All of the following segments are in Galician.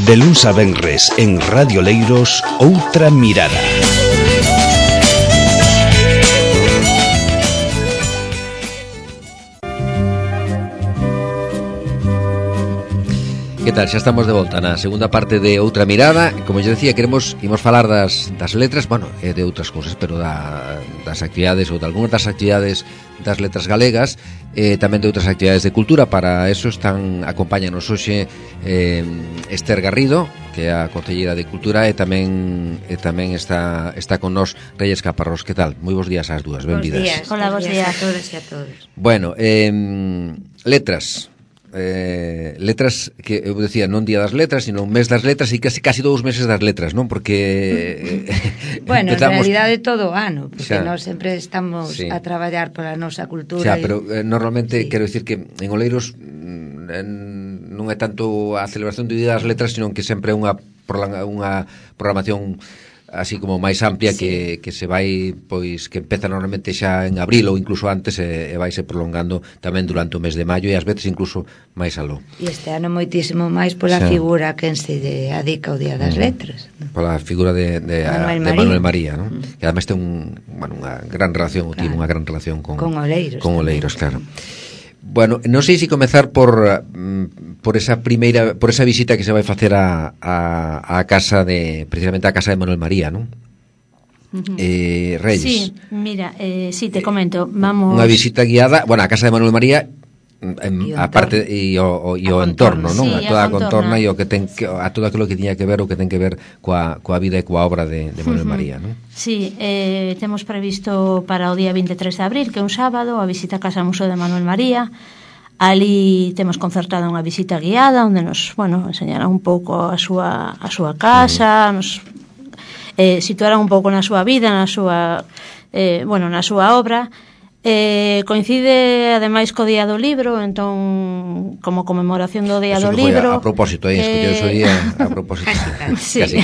De luns a venres en Radio Leiros, Outra Mirada. Que tal? Xa estamos de volta na segunda parte de Outra Mirada. Como eu decía, imos falar das letras, bueno, de outras cousas, pero das actividades ou de algunhas das actividades das letras galegas, tamén de outras actividades de cultura. Para eso acompáñanos hoxe Esther Garrido, que é a concelleira de Cultura, e tamén está con nós Reyes Caparrós. Que tal? Moi bons días ás dúas, benvidas. Hola, bons días a todos e a todos. Bueno, letras que eu decía, non día das letras, sino un mes das letras e casi 2 meses das letras, non? Porque bueno, en realidade todo o ano, porque nós sempre estamos a traballar pola nosa cultura. Pero normalmente quero dicir que en Oleiros non é tanto a celebración do día das letras, sino que sempre é unha programación así como máis amplia que se vai, pois, que empeza normalmente xa en abril ou incluso antes e vaise prolongando tamén durante o mes de maio e ás veces incluso máis aló. E este ano moitísimo máis pola figura que en se adica o Día das Letras, ¿no? Pola figura de Manuel María, ¿no? Que además ten unha gran relación, tivo unha gran relación con Oleiros, claro. Bueno, non sei se comezar por esa visita que se vai facer a casa precisamente a casa de Manuel María, non? Reyes. Sí, mira, sí, te comento, vamos... Unha visita guiada, bueno, a casa de Manuel María, a parte e o entorno, non? A toda a contorna e o que ten a todo aquilo que tiña que ver o que ten que ver coa vida e coa obra de Manuel María, non? Sí, temos previsto para o día 23 de abril, que é un sábado, a visita a Casa Museo de Manuel María. Ali temos concertada unha visita guiada onde nos, enseñará un pouco a súa casa, nos situará un pouco na súa vida, na súa obra. Coincide ademais co Día do Libro, entón como conmemoración do Día do Libro. A propósito, escolleu ese día a propósito. Sí. Casi.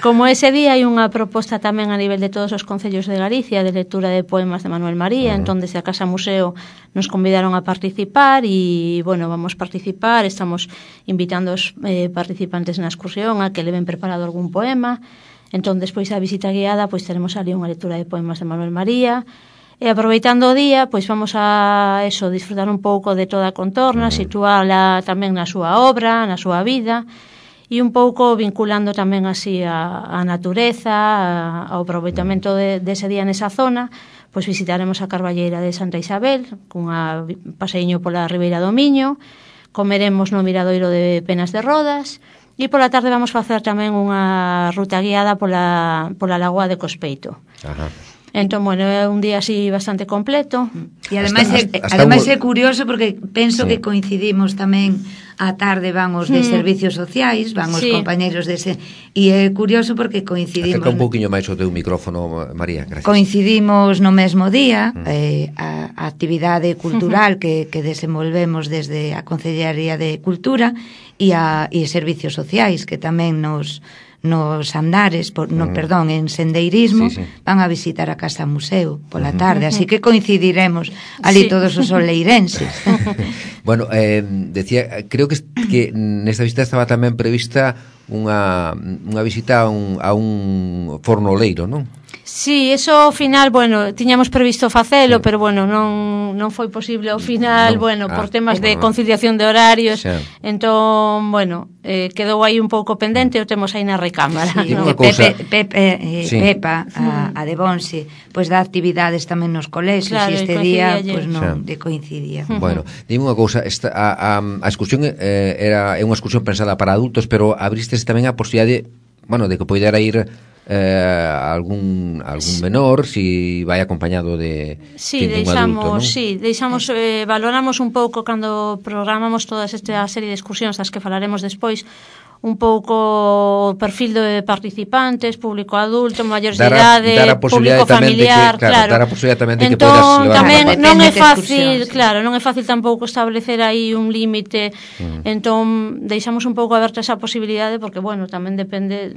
Como ese día hai unha proposta tamén a nivel de todos os concellos de Galicia de lectura de poemas de Manuel María, entón desde a Casa Museo nos convidaron a participar e, vamos participar, estamos invitando os participantes na excursión a que leven preparado algún poema. Entón, despois da visita guiada, pois teremos ali unha lectura de poemas de Manuel María. E aproveitando o día, pois vamos a disfrutar un pouco de toda a contorna, situala tamén na súa obra, na súa vida, e un pouco vinculando tamén así a natureza, ao aproveitamento dese día nesa zona. Pois visitaremos a Carballeira de Santa Isabel, cunha paseiño pola Ribeira do Miño, comeremos no Miradoiro de Penas de Rodas, e pola tarde vamos facer tamén unha ruta guiada pola Lagoa de Cospeito. Ajá. Entón, é un día así bastante completo. E ademais é curioso porque penso que coincidimos tamén a tarde van os de servicios sociais, van os compañeiros dese, e é curioso porque coincidimos. Acerca un pouquiño máis o teu micrófono, María, gracias. Coincidimos no mesmo día, a actividade cultural que desenvolvemos desde a Concellería de Cultura e servicios sociais que tamén nos andares, en sendeirismo, van a visitar a Casa Museo pola tarde, así que coincidiremos ali todos os oleirenses. Bueno, decía, creo que nesta visita estaba tamén prevista unha visita a un forno oleiro, non? Sí, eso ao final, tiñamos previsto facelo, pero non foi posible ao final, por temas de conciliación de horarios. Entón, quedou aí un pouco pendente, o temos aí na recámara. Pepa, a de Bonse, pois dá actividades tamén nos colexios, e este día non coincidía. Bueno, dime unha cousa, a excursión é unha excursión pensada para adultos, pero abristes tamén a posibilidade, de que poidera ir algún menor si vai acompañado de un adulto, non? Sí, valoramos un pouco cando programamos toda esta serie de excursións das que falaremos despois, un pouco o perfil de participantes, público adulto, maiores de idade, público familiar, dar a posibilidad tamén de que podas levar tamén non é fácil, non é fácil tampouco establecer aí un límite. Entón, deixamos un pouco aberta esa posibilidade porque, tamén depende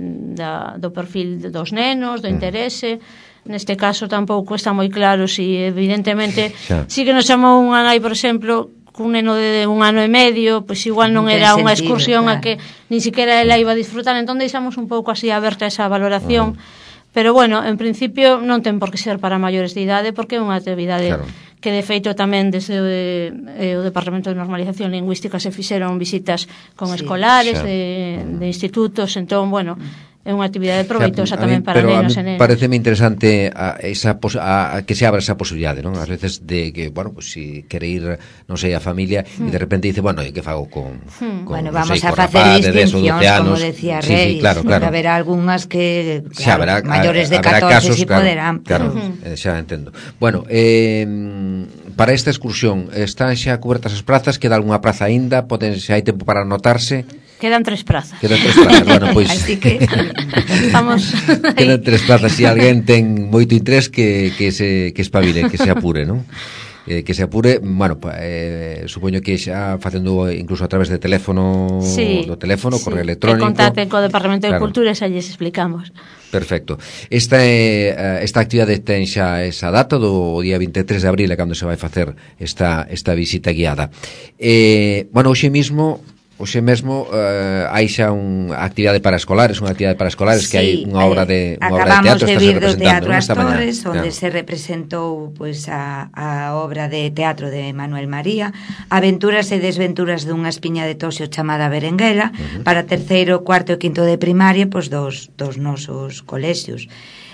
do perfil dos nenos, do interese. Neste caso tampouco está moi claro si evidentemente si que nos chamou unha nai, por exemplo, cun neno de 1 ano e medio, pois igual non era unha excursión a que ni siquiera ela iba a disfrutar, entón deixamos un pouco así aberta esa valoración. Pero bueno, en principio non ten por que ser para maiores de idade, porque é unha actividade que de feito tamén desde o Departamento de Normalización Lingüística se fixeron visitas con escolares de institutos, entón, bueno, é unha actividade proveitosa tamén para nenos e nenas. Pareceme interesante que se abra esa posibilidade, non? Ás veces de que, bueno, pues si quere ir, non sei, a familia e de repente dice, bueno, e que fago con bueno, vamos a facer distincións, como decía Reis. Sí, claro. Haberá algunhas que, claro, maiores de 14 si poderán. Claro, xa entendo. Bueno, para esta excursión, están xa cobertas as prazas? Queda algunha praza aínda? Se hai tempo para anotarse? Quedan 3 prazas. Bueno, pois así que estamos quedan 3 plazas. Se alguén ten moito interés que se espabile, que se apure, non? Que se apure, bueno, supoño que xa facendo incluso a través de teléfono, correo electrónico. Que contacten co Departamento de Cultura e xa lles explicamos. Perfecto. Esta actividade ten xa esa data do día 23 de abril, cando se vai facer esta visita guiada. Bueno, hoxe mesmo hai xa unha actividade para escolares, que hai unha obra de teatro. Acabamos de vir do Teatro As Torres, onde se representou pois a obra de teatro de Manuel María, Aventuras e desventuras dunha espiña de toxo chamada Berenguela, para terceiro, cuarto e quinto de primaria, pois dos nosos colexios.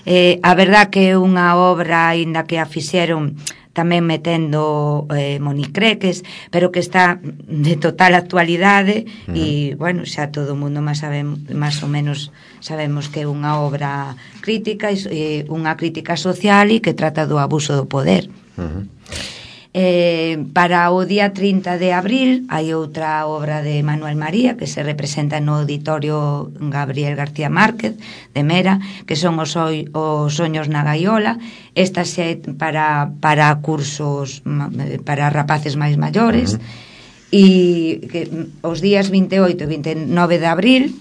A verdad que é unha obra, aínda que a fixeron tamén metendo monicreques, pero que está de total actualidade e, bueno, xa todo o mundo máis ou menos sabemos que é unha obra crítica, unha crítica social e que trata do abuso do poder. Para o día 30 de abril hai outra obra de Manuel María que se representa no Auditorio Gabriel García Márquez de Mera, que son os soños na gaiola. Esta xe para cursos para rapaces máis maiores, e que os días 28 e 29 de abril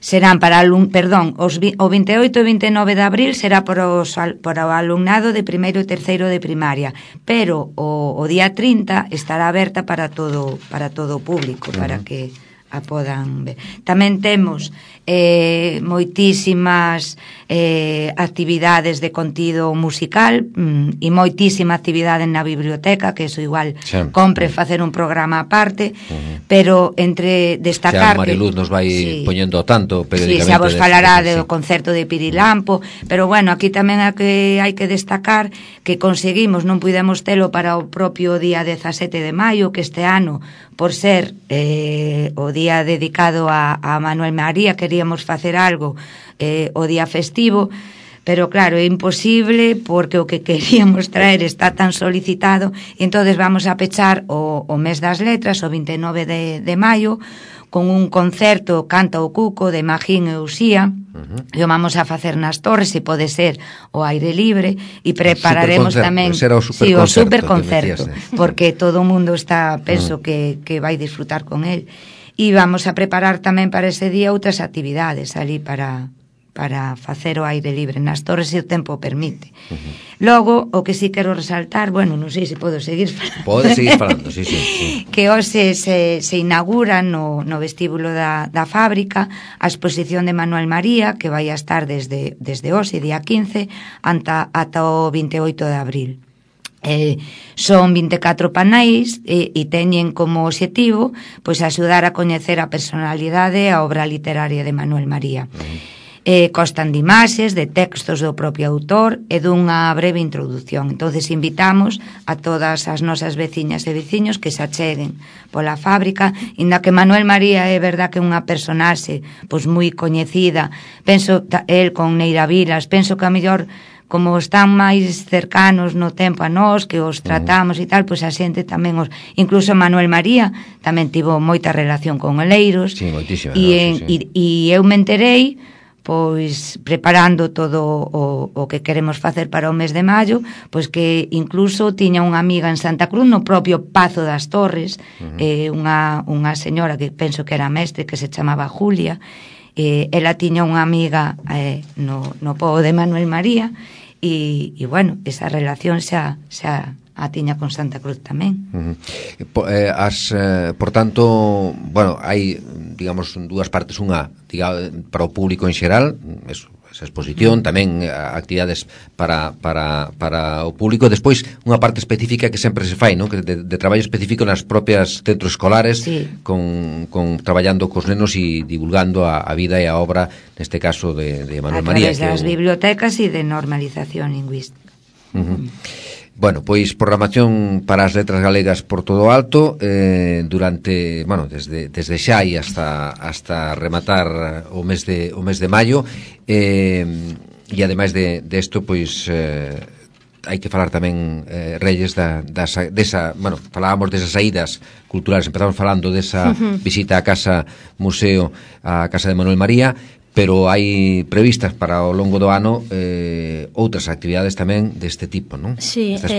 serán para o 28 e 29 de abril será para o alumnado de primeiro e terceiro de primaria, pero o día 30 estará aberta para todo o público, para que a podan ver. Tamén temos moitísimas actividades de contido musical e moitísima actividade na biblioteca, que eso igual compre facer un programa aparte, pero entre destacar que Mariluz nos vai poñendo tanto periódicamente. Xa vos falará do concerto de Pirilampo, pero bueno, aquí tamén hai que destacar que conseguimos, non pudemos telo para o propio día 17 de maio, que este ano, por ser o día dedicado a Manuel María, queríamos facer algo o día festivo, pero claro, é imposible porque o que queríamos traer está tan solicitado, e entonces vamos a pechar o mes das letras, o 29 de maio, con un concerto Canta o Cuco de Magín e Uxía, e o vamos a facer nas Torres, se pode ser o aire libre, e prepararemos tamén o superconcerto, porque todo o mundo está, penso que vai disfrutar con el, e vamos a preparar tamén para ese día outras actividades ali para facer o aire libre nas Torres, se o tempo permite. Logo, o que sí quero resaltar, bueno, non sei se podo seguir falando. Pode seguir falando, sí. Que hoxe se inaugura no vestíbulo da fábrica a exposición de Manuel María, que vai a estar desde hoxe, día 15, ata o 28 de abril. Son 24 paneis e teñen como obxectivo pois axudar a coñecer a personalidade e a obra literaria de Manuel María. Constan de imaxes, de textos do propio autor e dunha breve introdución. Entonces invitamos a todas as nosas veciñas e veciños que se acheguen pola fábrica, inda que Manuel María é verdad que é unha personaxe pois moi coñecida, penso el con Neira Vilas, penso que a mellor como están máis cercanos no tempo a nós, que os tratamos e tal, pois a xente tamén incluso Manuel María tamén tivo moita relación con Oleiros. Sí, moitísima. E eu me enterei pois preparando todo o que queremos facer para o mes de maio, pois que incluso tiña unha amiga en Santa Cruz, no propio Pazo das Torres, unha señora que penso que era mestre, que se chamaba Julia, ela tiña unha amiga no pobo de Manuel María, e bueno, esa relación xa a tiña con Santa Cruz tamén. Por tanto, bueno, hai, digamos, dúas partes, unha para o público en xeral, esa exposición, tamén actividades para o público, despois unha parte específica que sempre se fai, ¿no? Que de traballo específico nas propias centros escolares, sí. con traballando cos nenos e divulgando a vida e a obra, neste caso de Manuel María, a través das bibliotecas e de normalización lingüística. Bueno, pois programación para as letras galegas por todo o alto, durante, bueno, desde xa e hasta rematar o mes de maio, e ademais de isto, pois hai que falar tamén, Reyes, desa, bueno, falábamos desas saídas culturales, empezamos falando desa visita á Casa Museo, á Casa de Manuel María, pero hai previstas para o longo do ano outras actividades tamén deste tipo, non? Sí, estas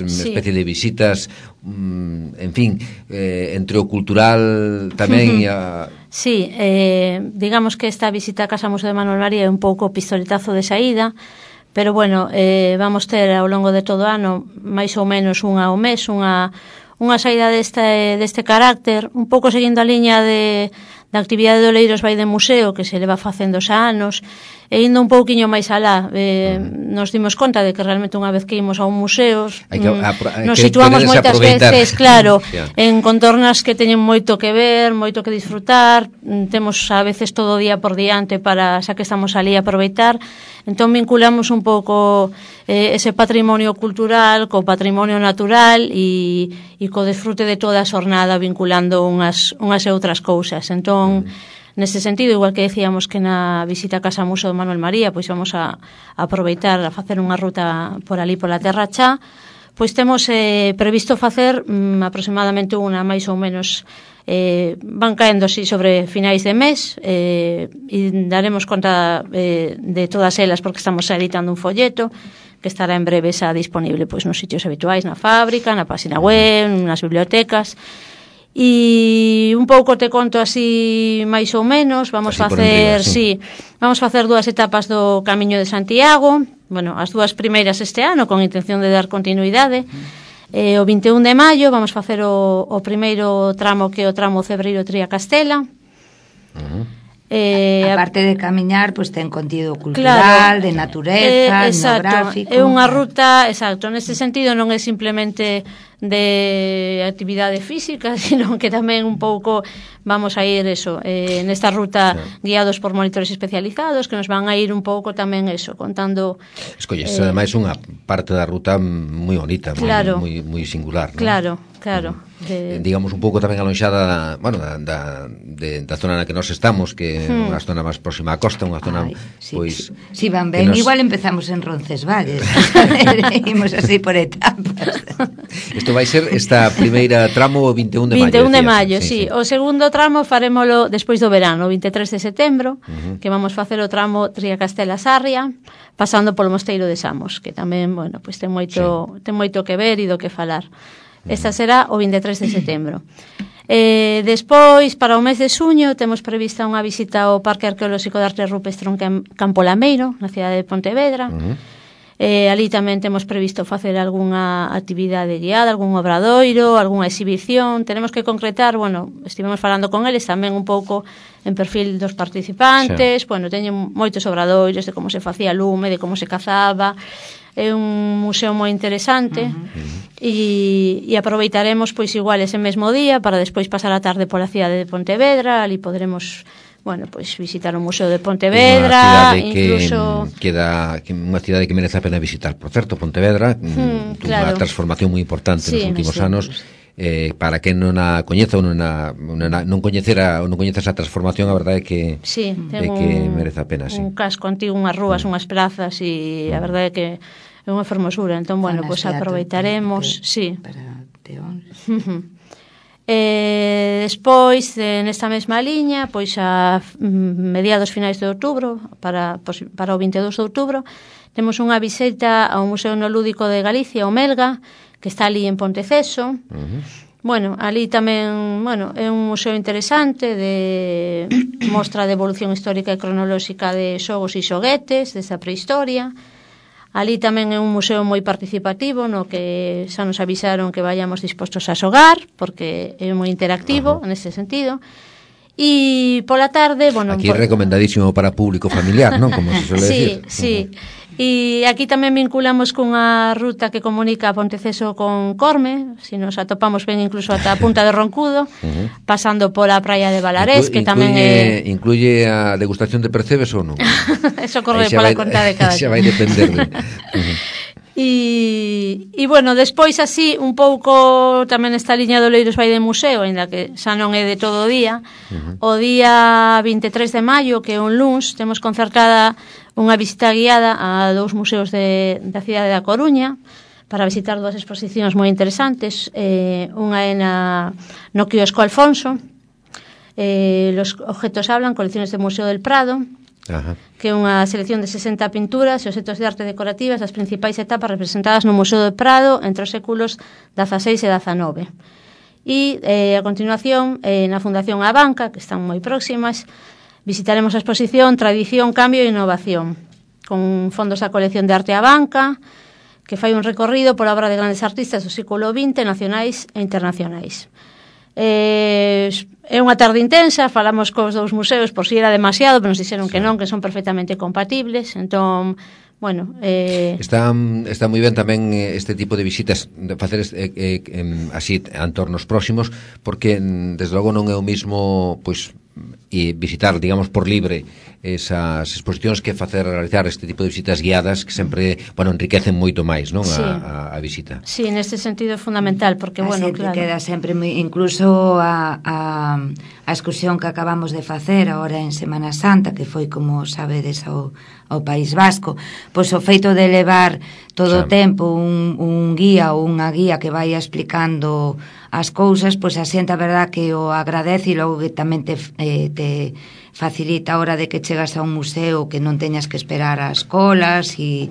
especie de visitas, en fin, entre o cultural tamén e a... Sí, digamos que esta visita a Casa Museo de Manuel María é un pouco pistoletazo de saída, pero bueno, vamos ter ao longo de todo o ano máis ou menos unha ao mes, unha saída deste carácter, un pouco seguindo a liña da actividade do Oleiros vai de museo que se leva facendo xa anos, e indo un pouquiño máis alá, nos dimos conta de que realmente unha vez que imos a un museo nos situamos moitas veces, claro, en contornas que teñen moito que ver, moito que disfrutar, temos a veces todo o día por diante para, xa que estamos ali, aproveitar. Entón vinculamos un pouco ese patrimonio cultural co patrimonio natural e co disfrute de toda a xornada, vinculando unhas e outras cousas. Entón, neste sentido, igual que decíamos que na visita a Casa Museo de Manuel María, pois vamos a aproveitar a facer unha ruta por ali pola Terra Chá, pois temos previsto facer aproximadamente unha máis ou menos, van caendo así sobre finais de mes, e daremos conta de todas elas porque estamos editando un folleto que estará en breve xa disponible pois nos sitios habituais, na fábrica, na página web, nas bibliotecas. E un pouco te conto así máis ou menos, vamos facer, vamos facer 2 etapas do Camiño de Santiago, bueno, as 2 primeiras este ano con intención de dar continuidade. O 21 de maio vamos facer o primeiro tramo, que é o tramo Cebreiro-Tría-Castela. A parte de camiñar, pois ten contido cultural, de natureza, etnográfico. É unha ruta, exacto, neste sentido non é simplemente de actividade física, sino que tamén un pouco vamos a ir nesta ruta guiados por monitores especializados que nos van a ir un pouco tamén contando. Escolles, ademais unha parte da ruta moi bonita, claro, moi singular, non? Claro. Digamos un pouco tamén alonxada, bueno, da zona na que nós estamos, que é unha zona máis próxima á costa, unha zona pois si van ben, igual empezamos en Roncesvalles. Imos así por etapas. Isto vai ser esta primeira tramo o 21 de maio. 21 de maio, sí. O segundo tramo farémolo despois do verano, o 23 de setembro, que vamos facer o tramo Tría-Castela-Sarria, pasando polo Mosteiro de Samos, que tamén, bueno, pois ten moito que ver e do que falar. Esta será o 23 de setembro. Despois, para o mes de xuño, temos prevista unha visita ao Parque Arqueolóxico de Arte Rupestre en Campo Lameiro, na cidade de Pontevedra. Ali tamén temos previsto facer algunha actividade guiada, algún obradoiro, algunha exhibición. Tenemos que concretar, bueno, estivemos falando con eles tamén un pouco en perfil dos participantes. Bueno, teñen moitos obradoiros de como se facía lume, de como se cazaba. É un museo moi interesante e aproveitaremos pois igual ese mesmo día para despois pasar a tarde pola cidade de Pontevedra. Ali podremos, bueno, pois visitar o Museo de Pontevedra, incluso unha cidade que merece a pena visitar, por certo, Pontevedra, unha transformación moi importante nos últimos anos. Para quen non a coñeza ou non coñecera esa transformación, a verdade é que merece a pena, un casco antigo, unhas rúas, unhas plazas, e a verdade é que é unha fermosura. Entón, bueno, pois aproveitaremos, para Teón. Despois, nesta mesma liña, pois a mediados finais de outubro, para o 22 de outubro, temos unha visita ao Museo Etnolúdico de Galicia, o Melga, que está ali en Ponteceso. Bueno, ali tamén, bueno, é un museo interesante de mostra de evolución histórica e cronolóxica de xogos e xoguetes desa prehistoria. Ali tamén é un museo moi participativo, no que xa nos avisaron que vayamos dispostos a xogar, porque é moi interactivo nese sentido. E pola tarde, bueno... Aquí é recomendadísimo para público familiar, non? Como se suele decir. Sí. E aquí tamén vinculamos cunha ruta que comunica Ponteceso con Corme, si nos atopamos ben incluso ata a Punta de Roncudo, pasando pola praia de Balarés, que tamén é... Incluye a degustación de percebes ou non? Eso corre pola conta de cada xa vai depender de... E bueno, despois así un pouco tamén esta liña do Oleiros vai de museo, ainda que xa non é de todo o día. O día 23 de maio, que é un luns, temos concertada unha visita guiada a 2 museos da cidade da Coruña para visitar 2 exposicións moi interesantes. Unha é no quiosco Alfonso, Los objetos hablan, colecciones do Museo del Prado, que é unha selección de 60 pinturas e obxectos de arte decorativas das principais etapas representadas no Museo do Prado entre os séculos XVI e XIX. E a continuación, na Fundación Abanca, que están moi próximas, visitaremos a exposición Tradición, Cambio e Innovación, con fondos da colección de arte Abanca, que fai un recorrido pola obra de grandes artistas do século XX, nacionais e internacionais. É unha tarde intensa, falamos cos 2 museos por si era demasiado, pero nos dixeron que non, que son perfectamente compatibles. Entón, bueno, está moi ben tamén este tipo de visitas, de facer así entornos próximos, porque desde logo non é o mismo, pois, e visitar, digamos, por libre esas exposicións que realizar este tipo de visitas guiadas que sempre, bueno, enriquecen moito máis, non, sí, a visita. Sí, neste sentido é fundamental, porque, bueno, claro, queda sempre incluso a excursión que acabamos de facer agora en Semana Santa, que foi, como sabedes, ao País Vasco, pois o feito de levar todo o tempo un guía ou unha guía que vai explicando as cousas, pois a xente a verdad que o agradece, e logo que tamén te facilita a hora de que chegas a un museo que non teñas que esperar as colas e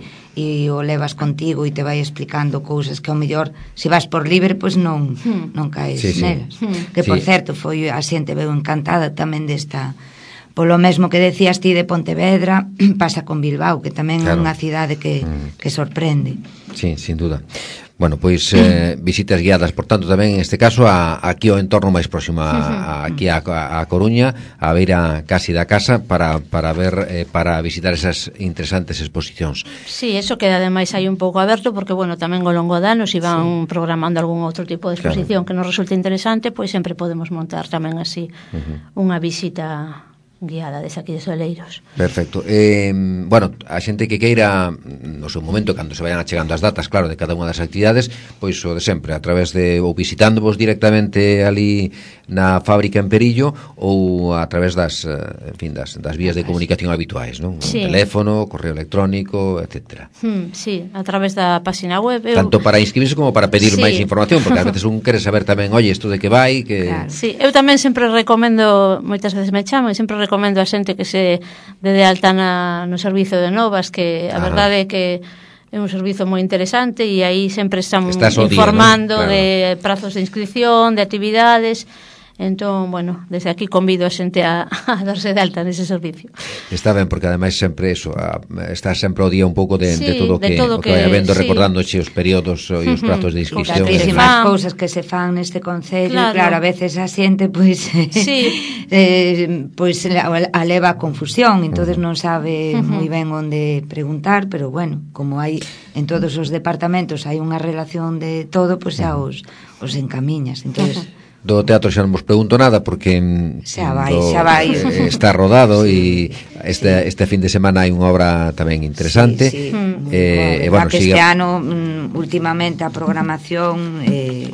o levas contigo e te vai explicando cousas que ao mellor se vas por libre pois non caes nelas. Que por certo foi a xente veu encantada tamén desta. Polo mesmo que decías ti de Pontevedra, pasa con Bilbao, que tamén é unha cidade que sorprende. Sí, sin duda. Bueno, pois visitas guiadas, por tanto, tamén en este caso aquí ao entorno máis próximo aquí a Coruña, a beira casi da casa para ver, para visitar esas interesantes exposicións. Sí, eso queda ademais aí un pouco aberto, porque, bueno, tamén ao longo de anos iban programando algún outro tipo de exposición que nos resulte interesante, pois sempre podemos montar tamén así unha visita guiada desde aquí de Oleiros. Perfecto. Bueno, a xente que queira no seu momento, cando se vayan achegando as datas, claro, de cada unha das actividades, pois o de sempre, a través de ou visitándovos directamente ali na fábrica en Perillo ou a través das vías de comunicación habituais, non? Sí. Teléfono, correo electrónico, etcétera. Sí, a través da página web. Tanto para inscribirse como para pedir máis información, porque ás veces un quere saber tamén, oye, isto de que vai, que... Claro. Sí, eu tamén sempre recomendo, moitas veces me chamo, e sempre recomendo a xente que se dé de alta no servizo de novas, que a verdade é que é un servizo moi interesante e aí sempre estamos informando día, ¿no? Claro. De prazos de inscripción, de actividades. Entón, bueno, desde aquí convido a xente a darse de alta nese servicio. Está ben, porque ademais sempre eso, está sempre ao día un pouco de todo o que vai habendo, recordándoche os períodos e os prazos de inscripción. Tantísimas cousas que se fan neste concello, claro, a veces a xente pois pois a leva a confusión, entonces non sabe moi ben onde preguntar, pero bueno, como hai en todos os departamentos hai unha relación de todo, pois xa os encamiñas, entonces do teatro xa non vos pregunto nada porque xa vai está rodado e este fin de semana hai unha obra tamén interesante. Bueno, que este ano últimamente a programación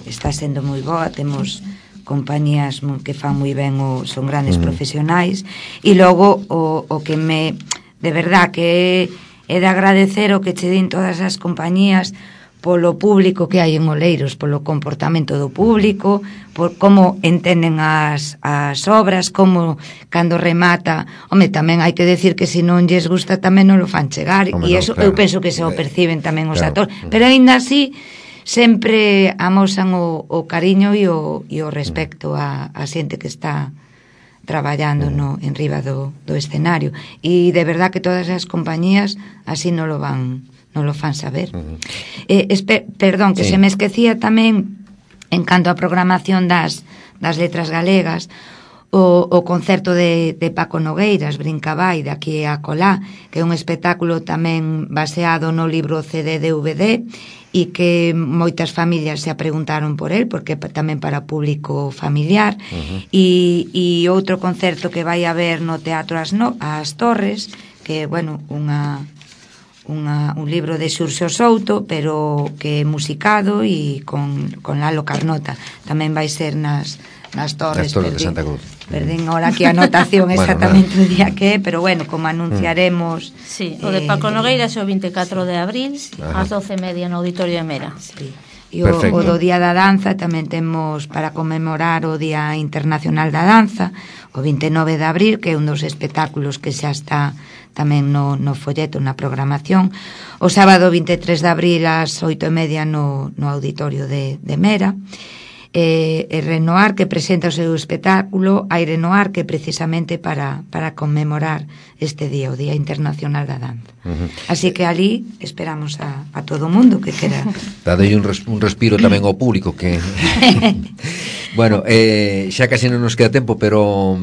está sendo moi boa, temos compañías que fan moi ben, son grandes profesionais, e logo o que de verdad que é de agradecer o que che din todas as compañías polo público que hai en Oleiros, polo comportamento do público, por como entenden as obras, como cando remata, tamén hai que decir que se non lles gusta tamén non lo fan chegar, e eso eu penso que se o perciben tamén os actores, pero aínda así sempre amosan o cariño e o respecto a xente que está traballando en riba do escenario, e de verdad que todas as compañías así non lo van lo fan saber. Perdón, que se me esquecía tamén, en canto a programación das letras galegas, o concerto de Paco Nogueiras, Brincabái, de aquí a colá, que é un espectáculo tamén baseado no libro CD-DVD, e que moitas familias se preguntaron por el, porque tamén para público familiar. E outro concerto que vai haber no Teatro As Torres, que, bueno, un libro de Xurxo Souto, pero que é musicado e con Lalo Carnota. Tamén vai ser nas Torres de Santa Cruz. Perdín ahora aquí a anotación exactamente o día que é, pero bueno, como anunciaremos... Sí, o de Paco Nogueiras é o 24 de abril, ás 12:30 no Auditorio de Mera. Sí. E o do Día da Danza tamén temos para conmemorar o Día Internacional da Danza, o 29 de abril, que é un dos espectáculos que xa está tamén no folleto, na programación. O sábado 23 de abril ás 8:30 no Auditorio de Mera. Renoir, que presenta o seu espectáculo Aire Noir, que precisamente para conmemorar este día, o Día Internacional da Danza. Así que ali esperamos a todo o mundo que quera. Dadelle un respiro tamén ao público que... Bueno, xa casi non nos queda tempo, pero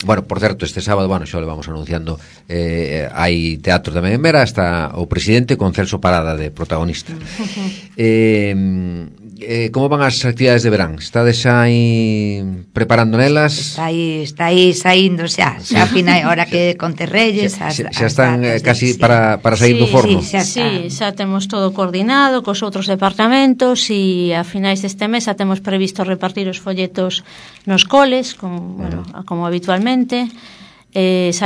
bueno, por certo, este sábado, bueno, xa le vamos anunciando, hai teatro tamén en Mera, está o presidente con Celso Parada de protagonista. Como van as actividades de verán? Estades aí preparando nelas? Está aí saindo xa final, hora que Conterreyes xa están casi para sair do forno. Sí, xa temos todo coordinado cos outros departamentos e a finais deste mes xa temos previsto repartir os folletos nos coles, como habitualmente. Se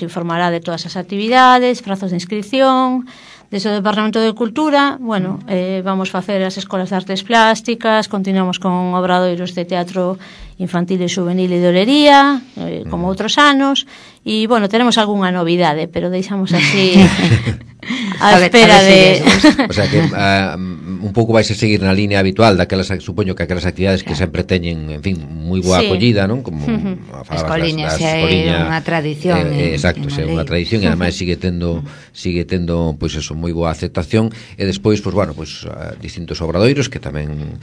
informará de todas as actividades, prazos de inscripción. Desde o Departamento de Cultura, vamos facer as escolas de artes plásticas, continuamos con obradoiros de teatro infantil e juvenil e de olería, como outros anos, e, tenemos algunha novidade, pero deixamos así a espera de... O sea que un pouco vais a seguir na línea habitual daquelas, supoño que aquelas actividades que sempre teñen, en fin, moi boa acollida, non? Como Escoliña, xa é unha tradición. Exacto, xa é unha tradición e ademais sigue tendo pois eso, moi boa aceptación, e despois, distintos obradoiros que tamén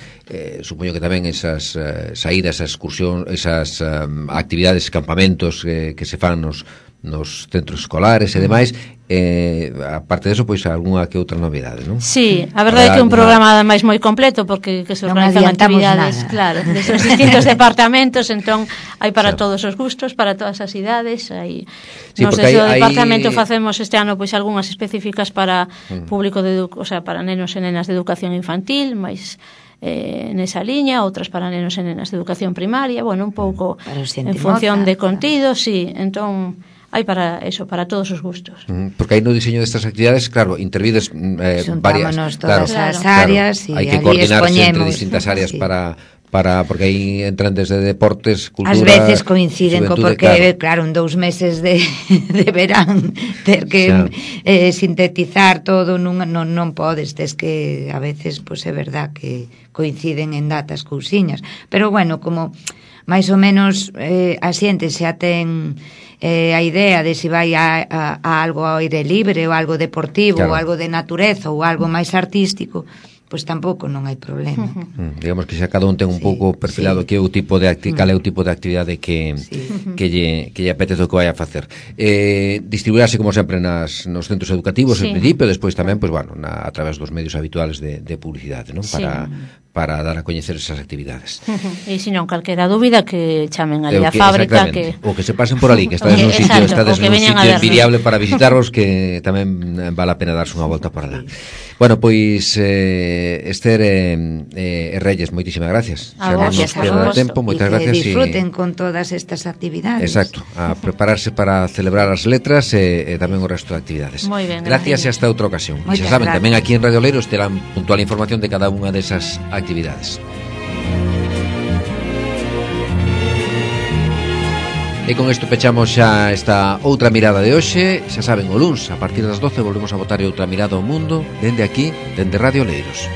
supoño que tamén esas saídas, esas excursións, esas actividades, campamentos que se fan nos centros escolares e demais, aparte de eso, pois algunha que outra novidade, non? Sí, a verdade é que é un programa ademais moi completo, porque que se organizan actividades, claro, desos distintos departamentos, entón hai para todos os gustos, para todas as idades, hai nos desde o departamento facemos este ano pois algunhas específicas para público para nenos e nenas de educación infantil, máis nesa liña, outras para nenos e nenas de educación primaria, un pouco en función de contido, sí, entón hai para eso, para todos os gustos. Porque aí no diseño destas actividades, claro, intervides varias, todas as áreas, hai que coordinarse entre distintas áreas porque aí entran desde deportes, cultura... Ás veces coinciden porque, claro, en 2 meses de verán ter que sintetizar todo non podes, tes que a veces, pois é verdad que coinciden en datas cousiñas, pero como máis ou menos a xente xa ten a idea de se vai a algo ao aire libre ou algo deportivo, ou algo de natureza ou algo máis artístico, pois tampouco non hai problema. Digamos que xa cada un ten un pouco perfilado que é o tipo de cal é o tipo de actividade que lle apetece o que vai a facer. Distribuirase como sempre nos centros educativos en principio, despois tamén a través dos medios habituales de publicidade, non? Para dar a coñecer esas actividades. E se non calquera dúbida que chamen ali a fábrica, o que se pasen por ali, que estades nun sitio, envidiable para visitarvos, que tamén vale a pena darse unha volta por alá. Bueno, pois Esther e Reyes, moitísimas gracias. A vos, moitas gracias. Que disfruten con todas estas actividades. Exacto, a prepararse para celebrar as letras e tamén o resto de actividades. Moi ben, gracias e hasta outra ocasión. E xa saben, tamén aquí en Radio Oleiros terán puntual información de cada unha desas actividades. E con isto pechamos xa esta outra mirada de hoxe. Xa saben, o luns a partir das 12 volvemos a botar outra mirada ao mundo dende aquí, dende Radio Oleiros.